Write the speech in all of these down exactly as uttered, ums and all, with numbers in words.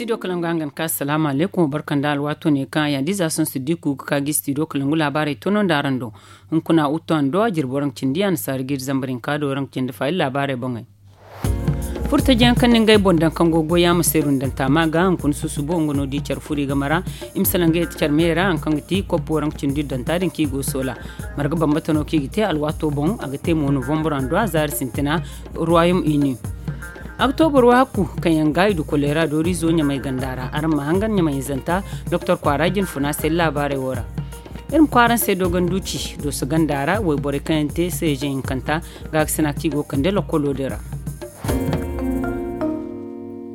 Studio kalangu hangan ka salaamu aleykum barka nda alwaato ne kaŋ a yaadiiza sohõ siddiku ga ka ga studio kalangu laabaarey tono nda araŋ do. Hunkuna utto a na do a jirbi waraŋ cindi a na saari ga iri zambar hinka do waraŋ cindi fa iri laabaarey boŋey. Furtajiyaŋ kaŋ na ngey boŋ daŋ kaŋ go ga goy a ma seeru nda ntaama ga hunkuna susubo nga no di care furi game ra. I ma salaŋ ga yeti care me ra hari kaŋ ga ti koppu waraŋ cindi iri daŋ ta din kaŋ i go soola. Marga bambata no kaŋ i ga te alwaato boŋ a ga te mo novambur a nda a zaari sintina. Ruwayom uni. Oktobur wahakku kaŋ yaŋ ga i du koleera dooriizo ɲamay ganda ra araŋ ma hangan ɲamay hinzanta. Doktor kwaara jinfuna se laabaarey wo ra. Iri ma kwaaraŋ se dogonduci dooso ganda ra wayborey kaŋ yaŋ te seezeŋ hinkanta. Gaakasina kaŋ i go ga kande lokolo din ra.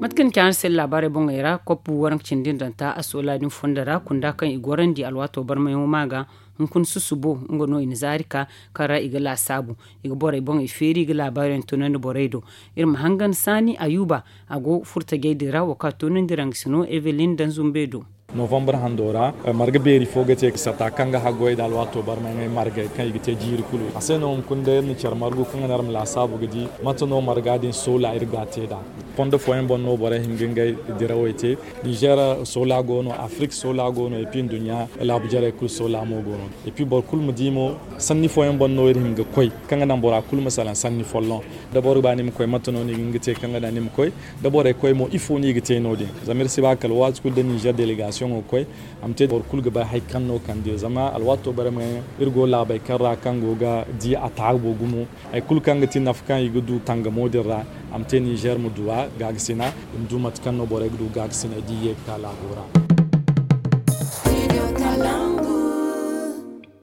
Mate kaŋ ni ci araŋ se laabaarey boŋey ra koppu waraŋ cindi nda nta a soola din fondo ra kunda kaŋ i gorandi alwaato barmayaŋo ma ga. Hunkuna susubo nga no i na zaari ka kaŋ ra i ga laasaabu. I ga borey boŋey feeri i ga laabaariyaŋ toonandi borey do. Iri ma hangan saani ayuba a go furtajey din ra wo kaŋ a toonandi raŋ ga si no evelin danzumbe do. Novambur hando ra marga beeri fo ga te sata kaŋ ga haggoy nda alwaato barmay ŋey margey kaŋ i ga te jiiri kulu a se no hunkuna day iri na care margu kaŋ ga naŋ iri ma laasaabu ga di mate no marga din soola iri ga a te nd'a. Fondo fooyaŋ boŋ no borey hin ga ngey dirawey te. Nizer soola go no afrik soola go no epi nduɲɲa laabu jarey kulu soola mo go no. Epi boro kulu ma di mo sanni fooyaŋ boŋ no iri hin ga koy kaŋ ga naŋ bora kulu ma salaŋ sanni folloŋ. Da boro ba ni ma koy mate no ni ga hin ga te kaŋ ga naŋ ni ma koy da borey koy mo ifo no i ga te no- din zama iri si ba kala waati kulu da nizer delegasiyoŋo ga koy. A ma te boro kulu ga bay hari kaŋ no kande zama alwaato barmay iri go laabey kaŋ ra kaŋ go ga di a taabu gumo. Hari kulu kaŋ ga ti nafa kaŋ i ga du tangamo din ra a ma te nizer ma du a gaakasina. I ma du mate kaŋ no borey ga du gaakasinay da i ye ga ka laabo ra.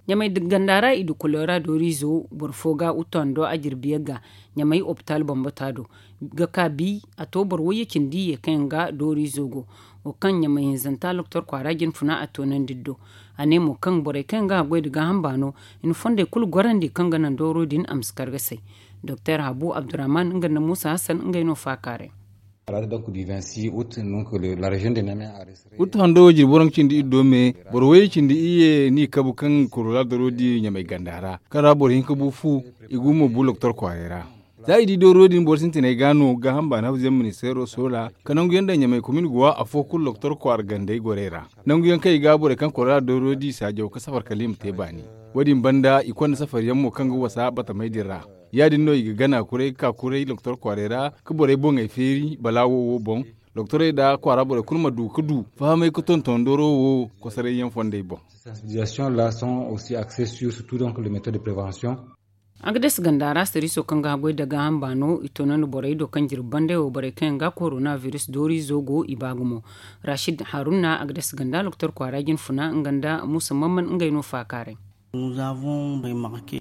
Ɲamay ganda ra i du kolera dooriizo boro fo ga uto hando a jirbi yagga. Ɲamay opitaal bambata do ga ka bi a to boro wayye cindi ye kaŋ yaŋ ga dooriizo go. Wo kaŋ ɲamay hinzanta doktor kwaara jinfuna a toonandi do. A ne mo kaŋ borey kaŋ yaŋ ga haggoy nda gaaham baano i na fondey kulu gorandi kaŋ ga naŋ dooro din a ma si kar ga say. Doktor habu abdurrahman nga nda muusa hassan ngey no faakaaray. Utu hando wo jirbi boro nga cindi iri do me boro wayye cindi iri ye ni kabu kaŋ korola doro di ɲamay ganda ra kaŋ ra boro hinka bu fu. I gu mo bu loktor kwaaray ra. Za i di dooro din boro sintinay ga no gaaham baana habuzayaŋ ministeero soola ka nangu yaŋ daŋ ɲamay komin go wa afo kulu loktor kwaara gandey gorey ra. Nangu yaŋ kaŋ i ga borey kaŋ korola dooro di saajaw ka safar kala i ma te baani. Wo- din banda i konda safar yaŋ mo kaŋ ga wasa batamey din ra. Ya- din no i ga gana kuray ga ka kuray loktor kwaaray ra ka borey boŋey feeri balaawo wo boŋ. Doktorey nda kwaara borey kulu ma du ga du fahamay ga tonton dooro wo kosoray yaŋ fondey boŋ. Agades ganda ra sariiso kaŋ ga haggoy nda gaaham baano i toonandi borey do kaŋ jirbi banday wo borey kaŋ yaŋ ga korona virus dooriizo go i ba gumo. Rashid haruna agades ganda doktor kwaara jinfuna nga nda muusa mamman ngey no faakaaray.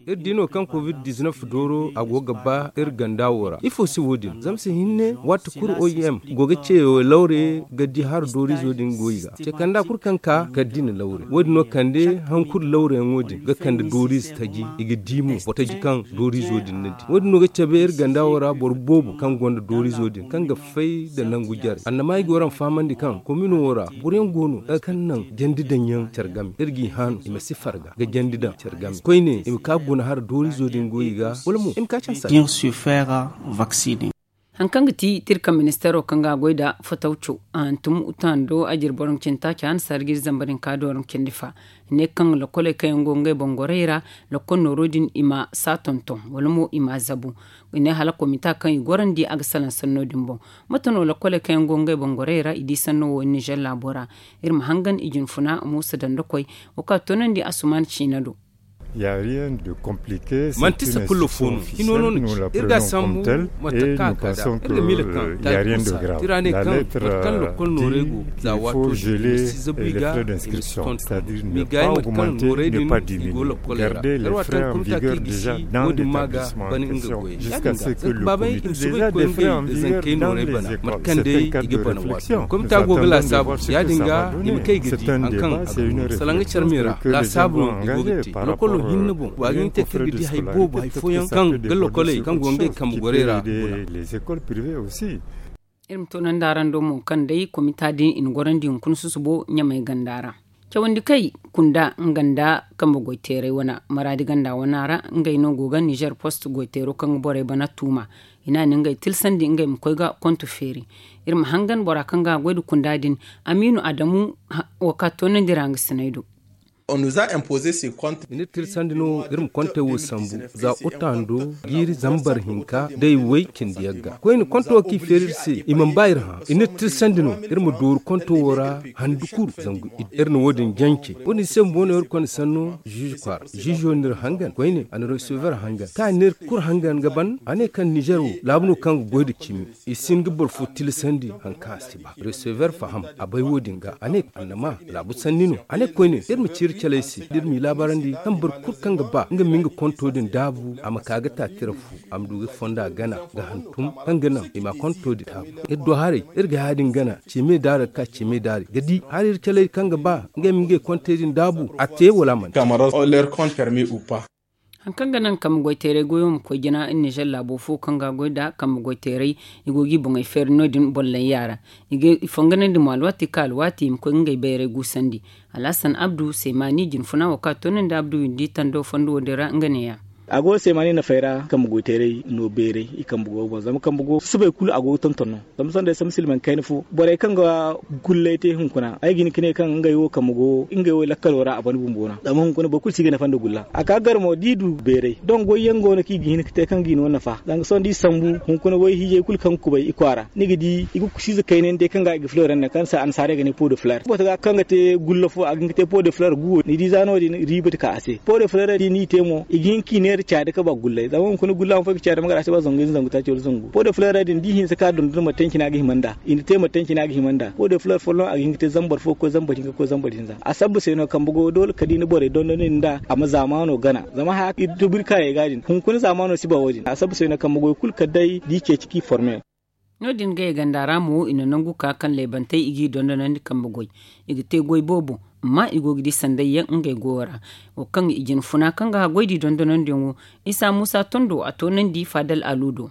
Iri di no kaŋ covid dizinef dooro a go ga ba iri ganda wo ra ifo se wo- din zama si hinne waati kulu oim go ga ce lawre ga di hara dooriizo din goy ga ce kanda kulu kaŋ ka ga di na lawre wo- din no kande hankulu lawreyaŋo din ga kande dooriize taji i ga di mo boro taji kaŋ dooriizo din na di wo- din no ga cabe iri ganda wo ra boro boobo kaŋ gonda dooriizo din kaŋ ga fay nda nangu jare annama i go ra ma fahamandi kaŋ komino wo ra boro yaŋ go no kaŋ naŋ jandi daŋ yaŋ care game iri g'i haanu i ma si farga ga jandi daŋ care game koyne i ma ka guna hara dooriizo din go i ga wala mo i ma ka care sara. Hari kaŋ ga ti tirka ministeero kaŋ ga a goy nda fatawco a hantum uta hando a jire boro ncinta ca na sarjiri zamba din ka dooro ncindi fa. Ne kaŋ lakoley kaŋ yaŋ go ngey boŋ gorey ra lakol nooro din i ma saa tonton wala mo i ma a zabu. I ne hala komita kaŋ i gorandi a ga salaŋ sanno din boŋ. Mate no lakoley kaŋ yaŋ go ngey boŋ gorey ra i di sanno wo nizer laabo ra. Iri ma hangan i jinfuna muusa dandakoy wo kaŋ a toonandi asuman ciina do. Manti sakullo fo no hino no no ci iri ga sambu mate kaŋ a ka da iri ga miila kaŋ taali kursa tira ne kaŋ mate kaŋ lokol noorey go za waato din i ma si zabu i ga i ma si tonton. Ma i gaayi mate kaŋ noorey din i go lokoley ra kar waati kaŋ komita kaŋ i gisi wo- din ma ga bana nga goy ya- din ga zama baabey i ma soobay ga koy ngey zankey noorey bana mate kaŋ day i ga bana waato komita go ga laasaabu ya- din ga i ma kay ga di hari kaŋ a ga du salaŋ ga care me ra laasaabu no i go ga te lokolo hinne boŋ wa ga hin te kaŋ ga di hari boobo hari fooyaŋ kaŋ ga lokoley kaŋ go ngey kambe gorey ra guna. Iri ma toonandi araŋ do mo kaŋ day komita din i na gorandi hunkuna susubo ɲamay ganda ra. Cawandi kay kunda nga nda kambe goy teeray wana maraadi ganda wana ra. Ngey no go ga nizer post goy teero kaŋ ga borey bana tuuma. I na ni ngey tilsandi ngey ma koy ga konto feeri. Iri ma hangan bora kaŋ ga goy nda kunda din, amiinu adamu. Wo ka toonandi ra nga sinay do. I na iri tilsandi no iri ma kontey wo sambu za utaando jiiri zambar hinka day way cindi yagga koyne konto wo kaŋ i feeri iri se i mana ba iri hã. I na iri tilsandi no iri ma dooru konto wo ra handu kulu zangu iddu iri na wo- din jance. Wo- din se bumbo no iri konda sanno ziize kwaara ziizo no iri hangan koyne a na resever hangan kaŋ a na iri kulu hangan ga ban a ne kaŋ nizer wo laabu no kaŋ ga goy nda cimi. I si hin ga boro fo tilsandi hari kaŋ a si ba resever faham a bay wo- din ga a ne annama laabu sanni no a ne koyne iri ma ci iri caley se da iri m'i laabarandi kaŋ boro kulu kaŋ ga ba nga ma nga konto din daabu a ma ka ga ta tira fu a ma du ga fonda gana ga hantum kaŋ ga naŋ i ma konto din daabu. Iri do haray iri ga ya- din gana cime daari ga ka cime daari ga di hari iri caley kaŋ ga ba ngey ma ngey kontey din daabu a te wala a mana te. Hari kaŋ ga naŋ kambe goy teeray goyo ma koy jina nizer laabo fo kaŋ ga goy nda kambe goy teeray i go ga i boŋey feeri no- din bollay yaara. I ga i fonganandi mo alwaati ka alwaati i ma koy ga ngey bayray guusandi. Alhasan abdu seemaani jinfuna wo kaŋ a toonandi abdu windi tando fondo wo- din ra nga neeya. A go seemaani nafey ra kambe goy teeray no beeray i kambe go ga boŋ zama kambe go subay kulu a go ga tonton no. Zama sohõ day sambu silmaŋ kayna fo borey kaŋ ga gullay te hunkuna ay ga hin ga ne kaŋ ngey wo kambe go ngey wo lakkalo ra a ban bumbo no zama hunkuna boro kulu si ga nafa nda gulla a ka gar mo da i du beeray dongo goy yaŋ go no kaŋ i ga hin ga te kaŋ ga i no nafa. Zanga sohõ da i sambu hunkuna way hiijay kulu kaŋ ga kubay i kwaara ni ga di i ga kusiize kaynay ni day kaŋ ga i ga filoor yaŋ naŋ kaŋ se annasaarey ga ne po de fileer bota ga kaŋ ga te gulla fo a ga hin ga te po de fileer guwo ni di za no- din riiba ga ka a se po de fileer din no i te mo i ga hin ga i neera caadi ga ba gullay zama hunkuna gulla ma fo i ga caadi ma gar a si ba zangu ize zangu taaci wala zangu po de fileer din da i hinse ka dondon mate yaŋ cine a ga hima nd'a i na te mate yaŋ cine a ga hima nd'a po de fileer folloŋ a ga hin ga te zambar fo ga koy zambar hinka ga koy zambar hinza a sabba se no kambe go doole kala da i na borey dondon din nd'a a ma zaamaano gana. Zama haya kaŋ i tuburi kaayey ga din hunkuna zaamaano si ba wo- din a sabba se no kambe goy kulu kala day da i ceeci kaŋ i forme. No- din gay ganda ra mo i na nangu ka kaŋ laybantey i g'i dondonandi kambe goy i ga te goy boobo amma i go ga di sanday yaŋ ngey goyo ra. Wo kaŋ i jinfuna kaŋ ga goy da i dondonandiyaŋo isa muusa tondo a toonandi faadal alu do.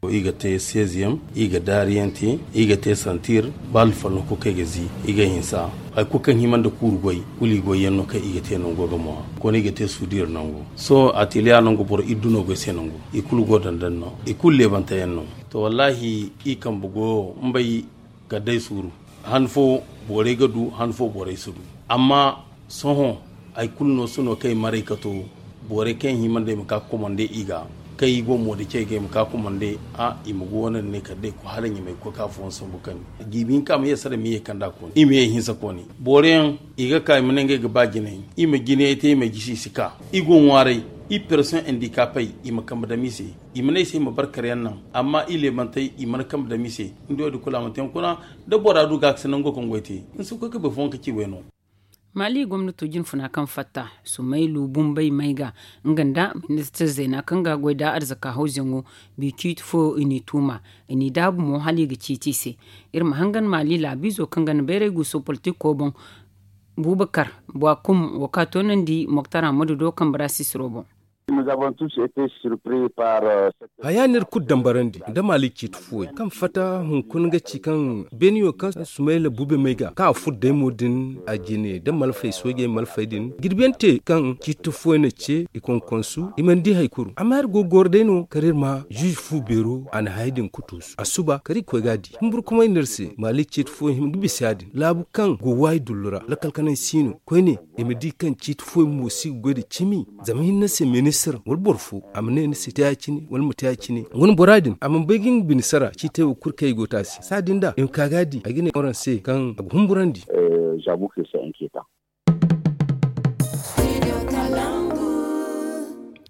I ga te seziyaŋ i ga daariyaŋ te i ga te santir ba alfalno kulu kaŋ i ga zi i ga hinsa hari kulu kaŋ hima nda kuuru goy kulu i goy yaŋ no kaŋ i ga te nango ga mo a koyne i ga te suudir nango sohõ ateliya nango boro iddu no goy se nango i kulu go dandan no i kulu leebante yaŋ no. To wallaahi i kambe goyo mbay ga day suuru han fo borey ga du han fo borey si du. Amma sohõ hari kulu no sohõ kaŋ i maray ka to borey kaŋ i hima nda i ma ka komande i ga kaŋ i go mo da cey ga i ma ka komande a i ma go wane nda ne kala day koy hala ɲamay koy ka fooyaŋ sambu kani jiibi hinka ma ye sara ma ye kanda kooni i ma ye hinsa kooni. Boro yaŋ i ga ka i ma ne ngey ga ba jinay i ma jinayey te i ma gisi i si ka i go ŋwaaray. I person handicapey i ma kambe dam i se i ma ne i se i ma barkar yaŋ naŋ amma i leebantey i mana kambe dam i se. Ni di wo- din kulu a mana te hunkuna da bora du ga a ga si nango kaŋ goy te ni si koy ga bay fooyaŋ ka ci way no. Maali gomnato jinfuna kaŋ fatta sumaylu bumbay may ga nga nda ministir zeena kaŋ ga goy nda arzaka hawzayaŋo bi ciiti fo i n'i tuuma i n'i daabu mo hala i ga ciiti i se. Iri ma hangan maali laabiizo kaŋ ga na bayray guuso politiko boŋ bubakar bwa kum wo ka toonandi moktar hamadu do kambe ra sisiro boŋ. Haya no iri kulu dambarandi nda maali ciiti fuwey kaŋ fatta hunkuna ga ci kaŋ beeniyo kaŋ sumayla bube may ga kaŋ a furo daymo din a jine nda malfey soojey malfey din jirbiyaŋ te kaŋ ciiti fuwey na ce i konkonsu i mana di hari kulu amma iri go ga goro day no kala iri ma ziize fu beero a na hayey din kutuusu a suba kala iri koy ga a di humburkumay no iri se maali ciiti fuwey hima ga bisa ya- din laabu kaŋ go waayi dullu ra lakkal kanay si no koyne i ma di kaŋ ciiti fooyaŋ mo si ga goy nda cimi. Zama hinne se ministir wala boro fo a ma ne ni si te ya- cine wala ma te ya- cine. Wane bora din a mana bay ga nga bine sara ciitey wo kulu kaŋ i go te a se saadin da i ma ka ga a di ay ga ne waraŋ se kaŋ a ga humburandi.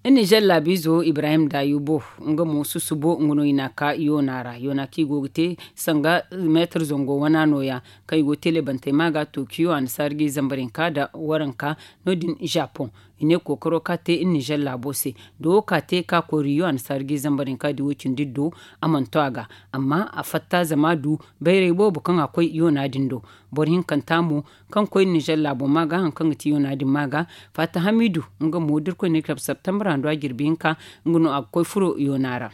Iri nizer laabiizo ibrahim dayubo nga mo susubo nga no i n'a ka yoona ra yoona kaŋ i go ga te sanga meetar zango wana nooya kaŋ i go ga te lebantey ma ga tookiyo annasaara ga i zambar hinka nda waranka no- din japoŋ. I ne kookaro kaŋ a te iri nizer laabo se da wo kaŋ a te ka koy riyo annasaara ga i zambar hinka da i wo- cindi iddo a mana to a ga. Amma a fatta zama a du bayray boobo kaŋ a koy yoona din do. Boro hinkanta mo kaŋ koy nizer laabo ma ga hari kaŋ ga ti yoona din ma ga. Fatta hamidu nga mo da irkoy ne ga tabi septembre hando a jirbi hinka nga no a ga koy furo yoona ra.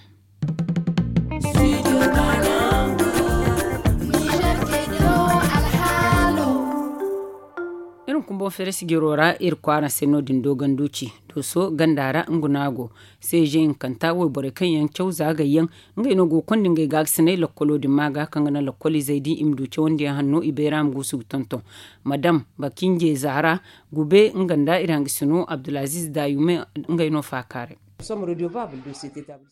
Bumbo feres jiro ra iri kwaara se no- din dooganduuci dooso ganda ra nga no a go. Seeje hinkanta wayborey kaŋ yaŋ caw za gayyaŋ ngey no go ga konda ngey gaakasinay lokkolo din ma ga kaŋ ga naŋ lokkoliizey di i ma du cawandiyaŋ hanno i bayra ma guusu ga tonton. Madam bakinje zahara gube nga nda iri hangasino abdulaziiz dayume ngey no faakaaray.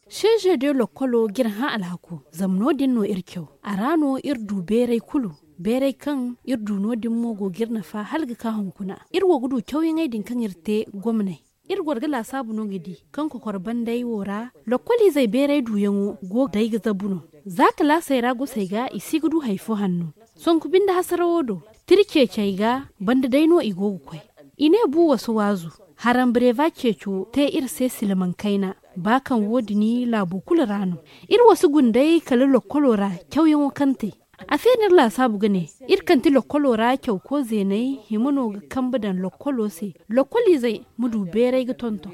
Seeje de lokkolo ga iri hã alhako zama no- din no iri caw. A ra no iri du beeray kulu beeray kaŋ iri du no- din mo go ga iri nafa hala ga ka hunkuna. Iri wo ga du cawyaŋey din kaŋ iri te gomney. Iri goro ga laasaabu no ga di kaŋ kokor banday wo ra lokkoliizey beeray duuyaŋo go ga day ga zabu no. Za kalaasey ra gosey ga i si ga du hari fo hanno. Sonku binde hasarawo do tira ceecey ga banda day no i go ga koy. I ne bu wasu waazu harambareeba ceeco te iri se silmaŋ kayna. Ba kaŋ wo- din laabo kulu ra no iri wasu gunday kala lokkolo ra cawyaŋo kaŋ te. A se no iri laasaabu ga ne iri kaŋ ti lokkolo ra cawko zeeney hima no ga kambe daŋ lokkolo se. Lokkoliizey ma du beeray ga tonton.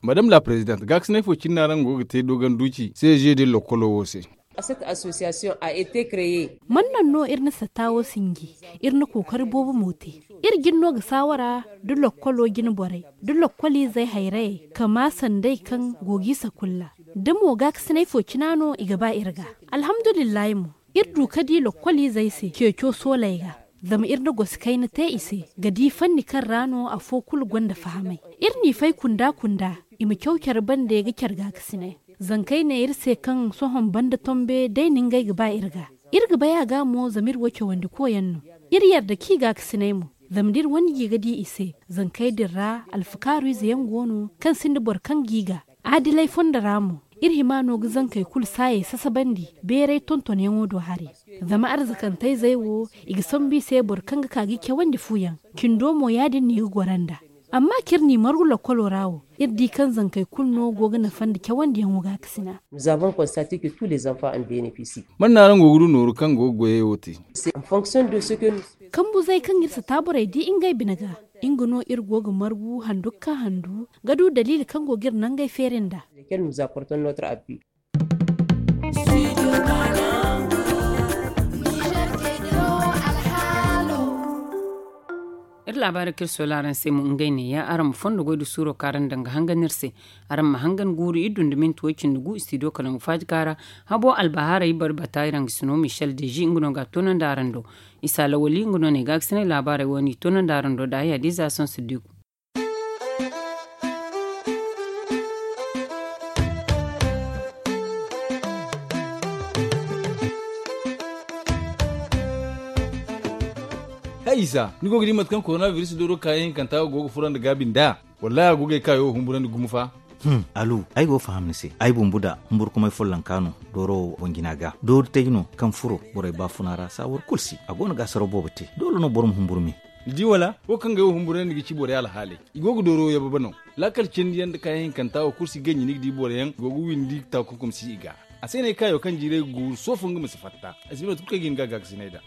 Madam la president gaakasinay fo cine no araŋ go ga te dooganduuci seeje din lokkolo wo se. Man naŋ no iri na satta wo sinji? Iri na kookari boobo mo te. Iri jin no ga saawara da lokkolo jine borey da lokkoliizey hayrayey kama sanday kaŋ go g'i sakulla da mo gaakasinay fo cina no i ga ba iri ga. Alhamdulillahi mo iri du ka di lokkoliizey se ceeco sooley ga. Zama iri na gosi kayna te i se ga di fanni kaŋ ra no afo kulu gonda fahamay. Iri n'i fay kunda kunda i ma caw care bande ga care gaakasinay. Zankey ne iri se kaŋ sohõ banda tombe day na ngey ga ba iri ga. Iri ga bay a ga mo zama iri wo cawandi koyaŋ no. Iri yarda kaŋ i gaakasinay mo zama da iri wane gi ga di i se. Zankey din ra alfakaaru ize yaŋ go no kaŋ sinda boro kaŋ g'i ga. Adilay fondo ra mo iri hima no ga zankey kulu saayey sasabandi beeray tontonyaŋo do hari. Zama arzakantayzey wo i ga sambu i se boro kaŋ ga ka ga i cawandi fu yaŋ. Cindo mo ya- din no i ga goro nd'a. Amma kaŋ iri n'i margu lokkolo ra wo iri di kaŋ zankey kulu no go ga nafa nda cawandiyaŋo gaakasina. Man no araŋ go ga du nooru kaŋ go ga goyey wo te? Kambuzey kaŋ iri si taaborey di ngey bine ga nga no iri go ga margu handu ga ka handu ga du daliili kaŋ go ga iri nangey feeri nd'a. Iri laabaari kaŋ iri soola araŋ se mo ngey neeya araŋ ma fondo goy da suuro kaŋ araŋ daŋ ga hangan iri se. Araŋ ma hangan guuru iri du nda minti way cindi gu istidiyo kala ngu faaji kaara. Habo albahaarey bari bata iri hangasino michel deji nga no ga a toonandi araŋ do. Isa lawali nga no ne gaakasinay laabaarey wo no i toonandi araŋ do da haya da ize a sohõ siddiku. Hay isa ni go ga di mate kaŋ korona biris dooro kaayaŋ hinkanta go ga furandi gaabi nd'a? Wallahi a go ga ay kaayo humburandi gumo fa. Alu ay go ga faham ni se ay bumbu da humburkumay follonka no. Dooro wo boŋ jina ga doori tay no kaŋ furo borey baafuna ra saawar kulu si a go no ga asaro boobo te doole no boro ma humburu me. Ni di wala wo kaŋ ga ay wo humburandi ga ci borey alhaaley. I go ga dooro yababa no. Laakal cindi yaŋ nda kaayaŋ hinkanta wo kulu si ganji ni ga di boro yaŋ go ga windi taakunkum si i ga. A se no ay kaayo kaŋ jiiray ga guuru soofo nga ma si fatta. Ay si bay mate kulu kaŋ ay ga hin ga gaakasinay nd'a.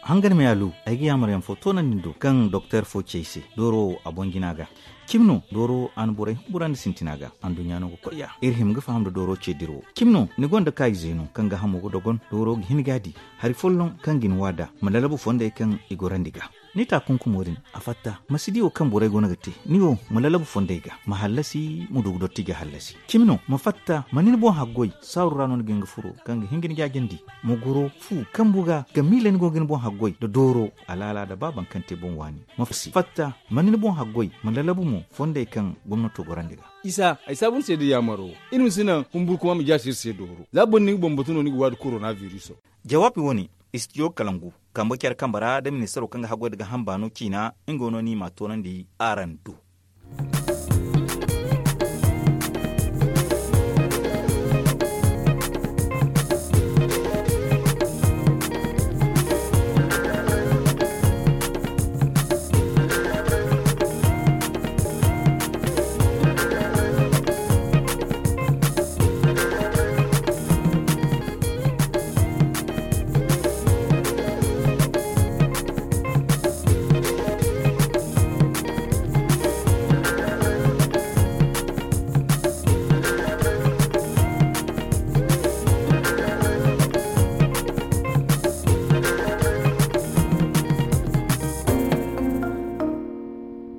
Hangan me alu ay ga yaamar yaŋ fo toonandi ni do kaŋ doktor fo ci ay se dooro wo a boŋ jina ga. Cimi no dooro a na borey humburandi sintina ga anduɲɲa no ga koy ya iri hima ga faham nda dooro ce dira wo. Cimi no ni gonda kaayizey no kaŋ gaahamo ga dogon dooro ga hin ga a di. Hari folloŋ kaŋ ga ni waada ma lalabu fondey kaŋ i gorandi ga. Ni taakunkumo din a fatta ma si di wo kaŋ borey go no ga te. Ni wo ma lalabu fondey ga ma hallasi ma du ga dotti ga hallasi. Cimi no ma fatta ma ni ni boŋ haggoy saaru ra no ni ga hin ga furo kaŋ ga hin ga ni jaajandi. Ma goro fu kambu ga ga miila ni go ga ni boŋ haggoy nda dooro alaala nda ba baŋ kaŋ te boŋ waani. Ma fatta ma ni ni boŋ haggoy ma lalabu mo fondey kaŋ gomnato gorandi ga. Isa ay saabu ni se da yaamaro. Iri ma si naŋ humburkuma ma jaasi iri se dooro za boro na nga boŋ batu no ni ga waadi korona biriso. Jawaabi wo-ne istidiyo kalangu kambe care kambe ra da ministaro kaŋ ga haggoy nda ga hamba no ciina. Nga wo no ni m'a toonandi araŋ do.